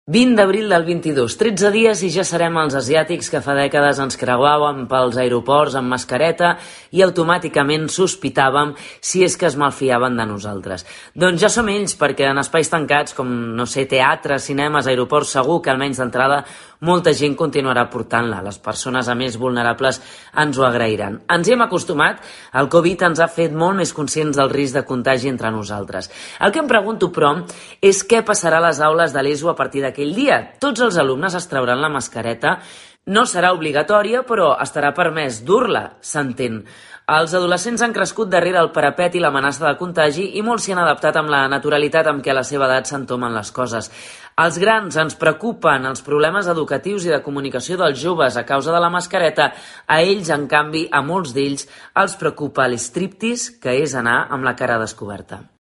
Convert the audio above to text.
20 d'abril del 22, 13 dies i ja serem els asiàtics que fa dècades ens creuàvem pels aeroports amb mascareta i automàticament sospitàvem si és que es malfiaven de nosaltres. Doncs ja som ells, perquè en espais tancats com, teatres, cinemes, aeroports, segur que almenys d'entrada molta gent continuarà portant-la. Les persones a més vulnerables ens ho agrairan. Ens hi hem acostumat, el Covid ens ha fet molt més conscients del risc de contagi entre nosaltres. El que em pregunto, però, és què passarà a les aules de l'ESO a partir d'aquell dia. Tots els alumnes es trauran la mascareta. No serà obligatòria, però estarà permès dur-la, s'entén. Els adolescents han crescut darrere el parapet i l'amenaça de contagi i molts s'hi han adaptat amb la naturalitat amb què a la seva edat s'entomen les coses. Els grans ens preocupen els problemes educatius i de comunicació dels joves a causa de la mascareta. A ells, en canvi, a molts d'ells, els preocupa l'striptease, que és anar amb la cara descoberta.